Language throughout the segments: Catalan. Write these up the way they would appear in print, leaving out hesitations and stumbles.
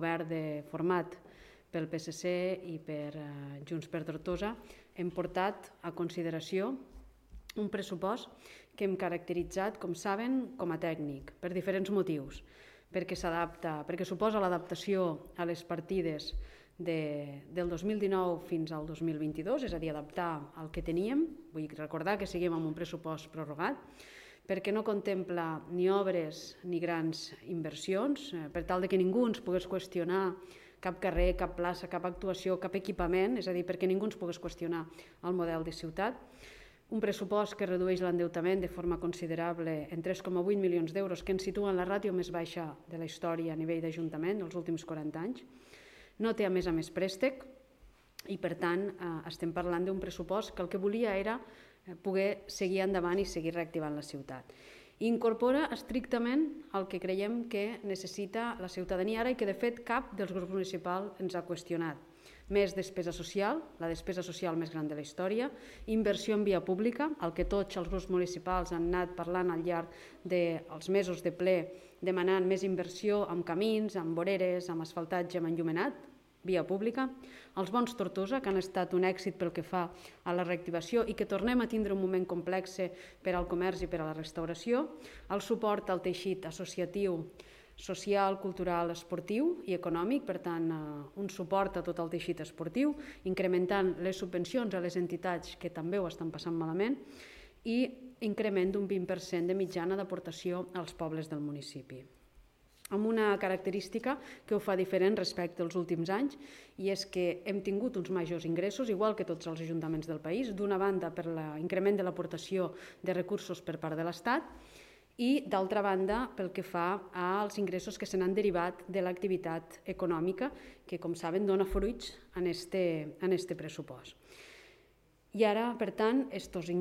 govern format pel PSC i per Junts per Tortosa hem portat a consideració un pressupost que hem caracteritzat, com saben, com a tècnic, per diferents motius. Perquè suposa l'adaptació a les partides del 2019 fins al 2022, és a dir, adaptar el que teníem. Vull recordar que seguim amb un pressupost prorrogat, perquè no contempla ni obres ni grans inversions, per tal que ningú ens pogués qüestionar cap carrer, cap plaça, cap actuació, cap equipament, és a dir, perquè ningú ens pogués qüestionar el model de ciutat. Un pressupost que redueix l'endeutament de forma considerable en 3,8 milions d'euros, que ens situa en la ràtio més baixa de la història a nivell d'Ajuntament dels últims 40 anys. No té a més préstec i, per tant, estem parlant d'un pressupost que el que volia era poder seguir endavant i seguir reactivant la ciutat. Incorpora estrictament el que creiem que necessita la ciutadania ara i que, de fet, cap dels grups municipals ens ha qüestionat. Més despesa social, la despesa social més gran de la història, inversió en via pública, el que tots els grups municipals han anat parlant al llarg dels mesos de ple, demanant més inversió en camins, en voreres, en asfaltatge, en enllumenat, via pública, els bons Tortosa, que han estat un èxit pel que fa a la reactivació i que tornem a tindre un moment complex per al comerç i per a la restauració, el suport al teixit associatiu, social, cultural, esportiu i econòmic, per tant, un suport a tot el teixit esportiu, incrementant les subvencions a les entitats que també ho estan passant malament i increment d'un 20% de mitjana d'aportació als pobles del municipi. Amb una característica que ho fa diferent respecte als últims anys, i és que hem tingut uns majors ingressos, igual que tots els ajuntaments del país, d'una banda per l'increment de l'aportació de recursos per part de l'Estat, i, d'altra banda, pel que fa als ingressos que se n'han derivat de l'activitat econòmica, que, com saben, dona fruits en este pressupost. I ara, per tant, estos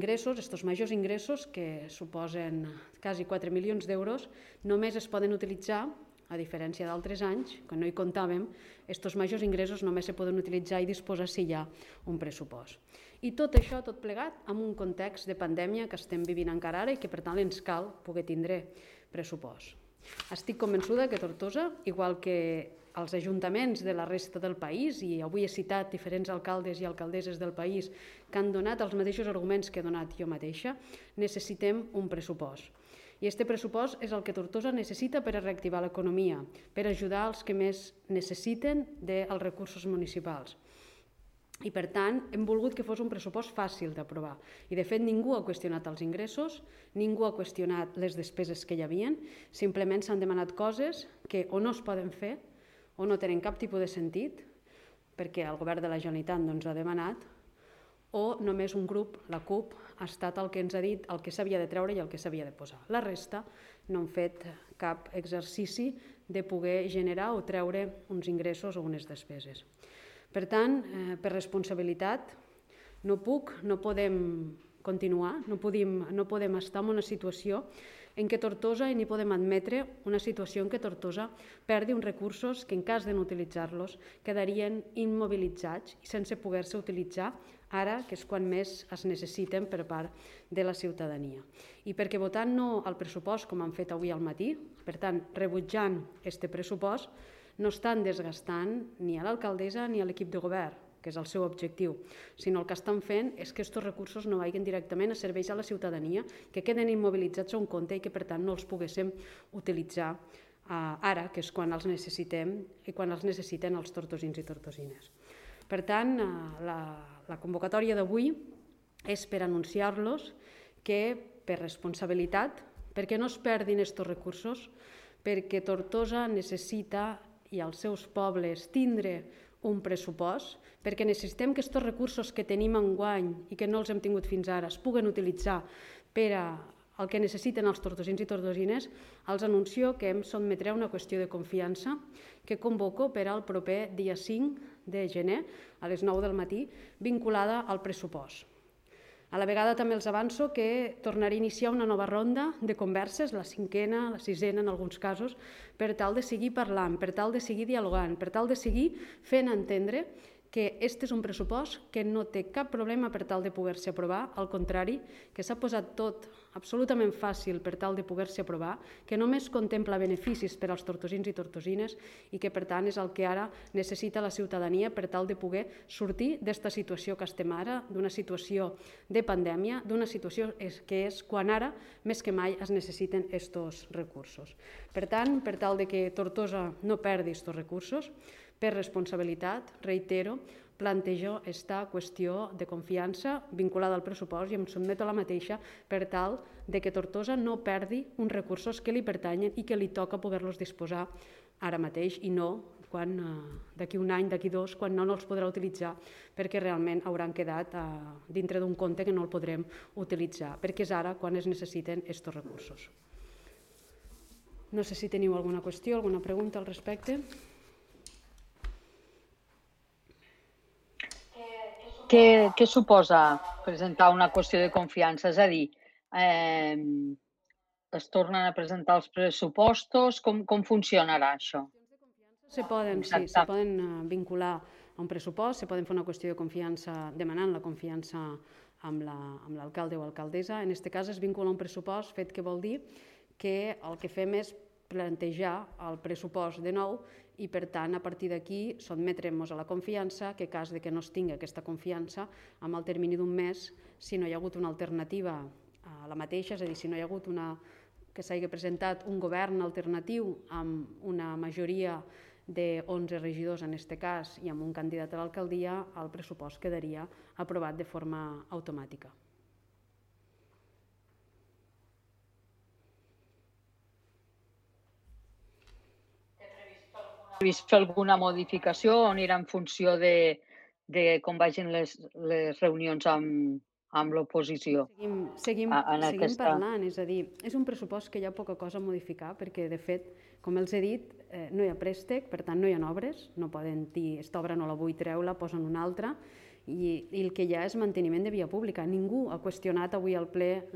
majors ingressos, que suposen quasi 4 milions d'euros, només es poden utilitzar, a diferència d'altres anys, quan no hi comptàvem, estos majors ingressos només se poden utilitzar i disposar si hi ha un pressupost. I tot això, tot plegat, amb un context de pandèmia que estem vivint encara ara i que, per tant, ens cal poder tindre pressupost. Estic convençuda que Tortosa, igual que els ajuntaments de la resta del país, i avui he citat diferents alcaldes i alcaldesses del país que han donat els mateixos arguments que he donat jo mateixa, necessitem un pressupost. I aquest pressupost és el que Tortosa necessita per a reactivar l'economia, per ajudar els que més necessiten dels recursos municipals. I, per tant, hem volgut que fos un pressupost fàcil d'aprovar. I, de fet, ningú ha qüestionat els ingressos, ningú ha qüestionat les despeses que hi havia, simplement s'han demanat coses que o no es poden fer o no tenen cap tipus de sentit, perquè el govern de la Generalitat no ens ha demanat, o només un grup, la CUP, ha estat el que ens ha dit el que s'havia de treure i el que s'havia de posar. La resta no han fet cap exercici de poder generar o treure uns ingressos o unes despeses. Per tant, per responsabilitat, no podem continuar, no podem estar en una situació en què Tortosa, i ni podem admetre una situació en què Tortosa perdi uns recursos que, en cas de no utilitzar-los, quedarien immobilitzats i sense poder-se utilitzar ara, que és quan més es necessiten per part de la ciutadania. I perquè votant no al pressupost, com han fet avui al matí, per tant, rebutjant aquest pressupost, no estan desgastant ni a l'alcaldessa ni a l'equip de govern, que és el seu objectiu, sinó el que estan fent és que aquests recursos no vagin directament a serveis a la ciutadania, que queden immobilitzats a un compte i que, per tant, no els poguéssim utilitzar ara, que és quan els necessitem i quan els necessiten els tortosins i tortosines. Per tant, la convocatòria d'avui és per anunciar-los que, per responsabilitat, perquè no es perdin aquests recursos, perquè Tortosa necessita, i els seus pobles, tindre un pressupost, perquè necessitem que aquests recursos que tenim enguany i que no els hem tingut fins ara es puguen utilitzar per al que necessiten els tortosins i tortosines, els anuncio que em sotmetré a una qüestió de confiança que convoco per al proper dia 5 de gener a les 9 del matí, vinculada al pressupost. A la vegada també els avanço que tornaré a iniciar una nova ronda de converses, la 5ª, la 6ª en alguns casos, per tal de seguir parlant, per tal de seguir dialogant, per tal de seguir fent entendre que aquest és un pressupost que no té cap problema per tal de poder-se aprovar, al contrari, que s'ha posat tot absolutament fàcil per tal de poder-se aprovar, que només contempla beneficis per als tortosins i tortosines i que per tant és el que ara necessita la ciutadania per tal de poder sortir d'esta situació que estem ara, d'una situació de pandèmia, d'una situació que és quan ara més que mai es necessiten estos recursos. Per tant, per tal de que Tortosa no perdi estos recursos, per responsabilitat, reitero, plantejo esta qüestió de confiança vinculada al pressupost i em sotmeto a la mateixa per tal de que Tortosa no perdi uns recursos que li pertanyen i que li toca poder-los disposar ara mateix i no quan d'aquí un any, d'aquí dos, quan no els podrà utilitzar perquè realment hauran quedat dintre d'un compte que no el podrem utilitzar, perquè és ara quan es necessiten aquests recursos. No sé si teniu alguna qüestió, alguna pregunta al respecte. Què suposa presentar una qüestió de confiança? És a dir, es tornen a presentar els pressupostos? Com funcionarà això? Se poden vincular a un pressupost, se poden fer una qüestió de confiança demanant la confiança amb l'alcalde o alcaldessa. En aquest cas es vincula a un pressupost, fet que vol dir que el que fem és plantejar el pressupost de nou i, per tant, a partir d'aquí sotmetrem-nos a la confiança que, en cas que no es tingui aquesta confiança, amb el termini d'un mes, si no hi ha hagut una alternativa a la mateixa, és a dir, si no hi ha hagut que s'hagi presentat un govern alternatiu amb una majoria de 11 regidors en aquest cas i amb un candidat a l'alcaldia, el pressupost quedaria aprovat de forma automàtica. Vist fer alguna modificació o anirà en funció de com vagin les reunions amb l'oposició? Seguim parlant, és a dir, és un pressupost que hi ha poca cosa a modificar perquè, de fet, com els he dit, no hi ha préstec, per tant no hi ha obres, no poden dir aquesta obra no la vull treure, posen una altra, i el que hi ha és manteniment de via pública. Ningú ha qüestionat avui al ple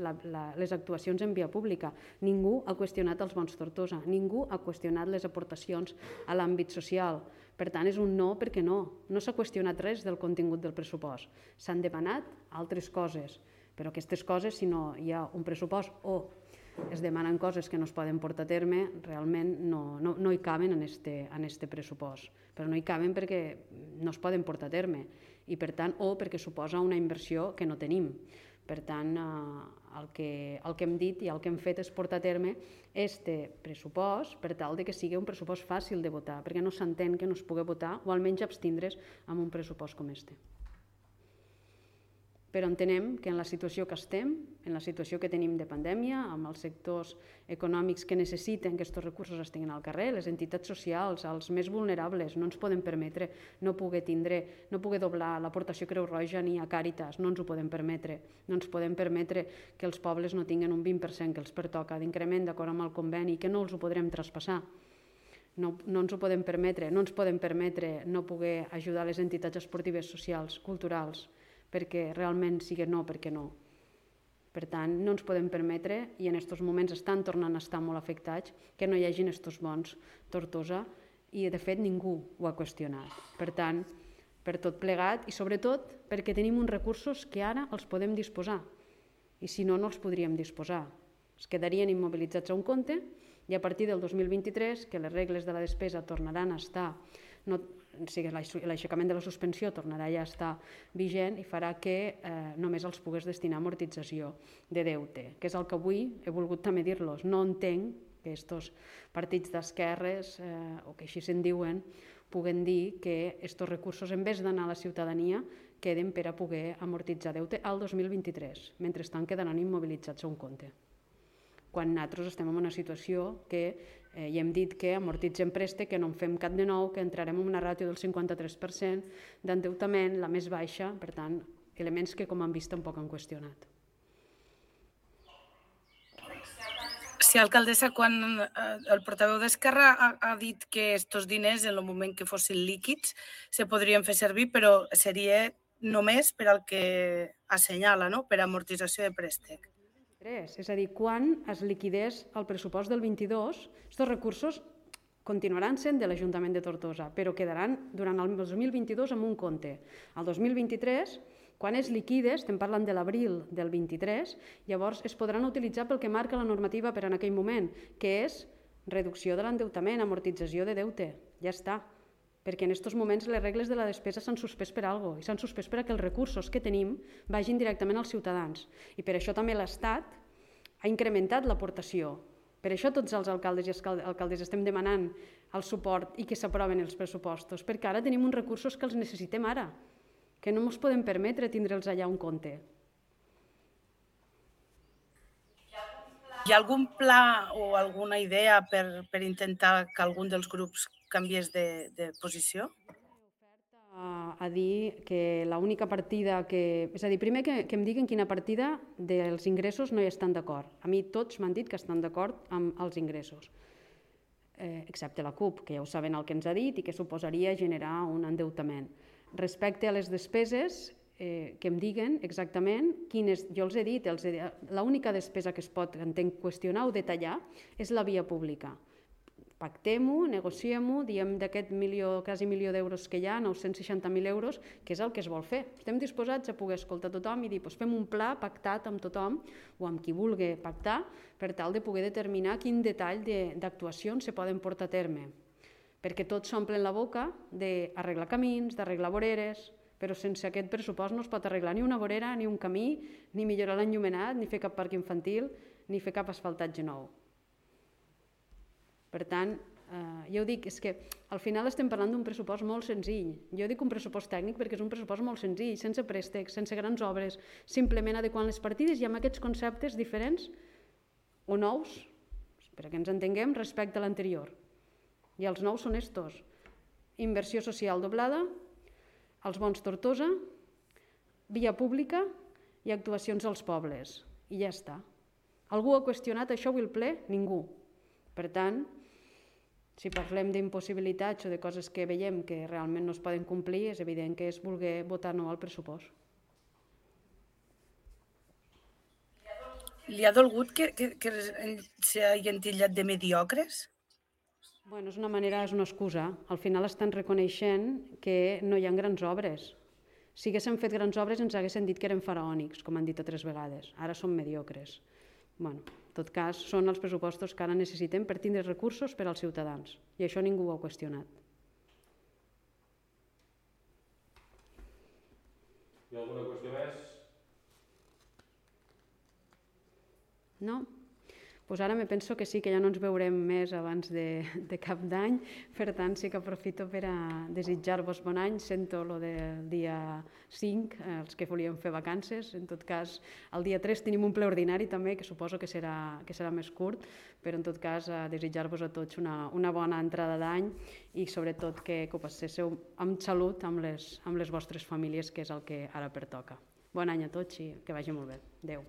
les actuacions en via pública, ningú ha qüestionat els bons Tortosa, ningú ha qüestionat les aportacions a l'àmbit social. Per tant, és un no perquè no s'ha qüestionat res del contingut del pressupost. S'han demanat altres coses, però aquestes coses, si no hi ha un pressupost o es demanen coses que no es poden portar a terme, realment no hi caben en este pressupost. Però no hi caben perquè no es poden portar a terme i, per tant, o perquè suposa una inversió que no tenim. Per tant, el que hem dit i el que hem fet és portar a terme este pressupost per tal que sigui un pressupost fàcil de votar, perquè no s'entén que no es pugui votar o almenys abstindre's amb un pressupost com este. Però entenem que en la situació que estem, en la situació que tenim de pandèmia, amb els sectors econòmics que necessiten que aquests recursos estiguin al carrer, les entitats socials, els més vulnerables, no ens podem permetre no poder doblar l'aportació Creu Roja ni a Càritas, no ens ho podem permetre. No ens podem permetre que els pobles no tinguin un 20% que els pertoca d'increment d'acord amb el conveni, que no els ho podrem traspassar. No ens ho podem permetre, no ens podem permetre no poder ajudar les entitats esportives, socials, culturals, perquè realment sigui no, perquè no. Per tant, no ens podem permetre, i en aquests moments estan tornant a estar molt afectats, que no hi hagin aquests bons Tortosa, i de fet ningú ho ha qüestionat. Per tant, per tot plegat, i sobretot perquè tenim uns recursos que ara els podem disposar, i si no, no els podríem disposar. Es quedarien immobilitzats a un compte, i a partir del 2023, que les regles de la despesa tornaran a estar, l'aixecament de la suspensió tornarà ja a estar vigent i farà que només els pogués destinar a amortització de deute, que és el que avui he volgut també dir-los. No entenc que aquests partits d'esquerres, o que així se'n diuen, puguen dir que aquests recursos, en vez d'anar a la ciutadania, queden per a poder amortitzar deute al 2023, mentrestant quedaran immobilitzats a un compte. Quan nosaltres estem en una situació que ja hem dit que amortitzem préstec, que no en fem cap de nou, que entrarem en una ràtio del 53% d'endeutament, la més baixa, per tant, elements que, com han vist, tampoc han qüestionat. Sí, alcaldessa, quan el portaveu d'Esquerra ha dit que aquests diners, en el moment que fossin líquids, se podrien fer servir, però seria només per al que assenyala, no? Per amortització de préstec. És a dir, quan es liquidés el pressupost del 22, aquests recursos continuaran sent de l'Ajuntament de Tortosa, però quedaran durant el 2022 en un compte. El 2023, Quan es liquide, estem parlant de l'abril del 23, llavors es podran utilitzar pel que marca la normativa per en aquell moment, que és reducció de l'endeutament, amortització de deute. Ja està. Perquè en aquests moments les regles de la despesa s'han suspès per alguna cosa i s'han suspès perquè els recursos que tenim vagin directament als ciutadans. I per això també l'Estat ha incrementat l'aportació. Per això tots els alcaldes i alcaldes estem demanant el suport i que s'aproven els pressupostos, perquè ara tenim uns recursos que els necessitem ara, que no ens podem permetre tindre'ls allà un compte. Hi ha algun pla o alguna idea per intentar que algun dels grups canviés de posició? A dir que l'única partida que... És a dir, primer que em diguin quina partida dels ingressos no hi estan d'acord. A mi tots m'han dit que estan d'acord amb els ingressos, excepte la CUP, que ja ho saben el que ens ha dit i que suposaria generar un endeutament. Respecte a les despeses, que em diguen exactament quines... Jo els he dit, l'única despesa que es pot, entenc, qüestionar o detallar és la via pública. Pactem-ho, negociem-ho, diem d'aquest quasi milió d'euros que hi ha, 960.000 euros, que és el que es vol fer. Estem disposats a poder escoltar tothom i dir fem un pla pactat amb tothom o amb qui vulgui pactar per tal de poder determinar quin detall d'actuacions se poden portar a terme. Perquè tots s'omplen la boca d'arreglar camins, d'arreglar voreres, però sense aquest pressupost no es pot arreglar ni una vorera, ni un camí, ni millorar l'enllumenat, ni fer cap parc infantil, ni fer cap asfaltatge nou. Per tant, jo dic, és que al final estem parlant d'un pressupost molt senzill. Jo dic un pressupost tècnic perquè és un pressupost molt senzill, sense préstecs, sense grans obres, simplement adequant les partides i amb aquests conceptes diferents o nous, perquè ens entenguem, respecte a l'anterior. I els nous són estos: inversió social doblada, els bons Tortosa, via pública i actuacions als pobles. I ja està. Algú ha qüestionat això avui al ple? Ningú. Per tant, si parlem d'impossibilitats o de coses que veiem que realment no es poden complir, és evident que és voler votar no al pressupost. Li ha dolgut que s'hagin titllat de mediocres? Bueno, és una manera, és una excusa. Al final estan reconeixent que no hi ha grans obres. Si haguéssim fet grans obres ens haguessin dit que eren faraònics, com han dit altres vegades. Ara són mediocres. Bueno, en tot cas, són els pressupostos que ara necessitem per tindre recursos per als ciutadans. I això ningú ho ha qüestionat. Hi ha alguna qüestió més? No? Doncs ara me penso que sí, que ja no ens veurem més abans de cap d'any, per tant sí que aprofito per a desitjar-vos bon any. Sento lo del dia 5, els que volíem fer vacances. En tot cas, el dia 3 tenim un ple ordinari també, que suposo que serà més curt, però en tot cas desitjar-vos a tots una bona entrada d'any i sobretot que ho passéssiu amb salut amb les vostres famílies, que és el que ara pertoca. Bon any a tots i que vagi molt bé. Adéu.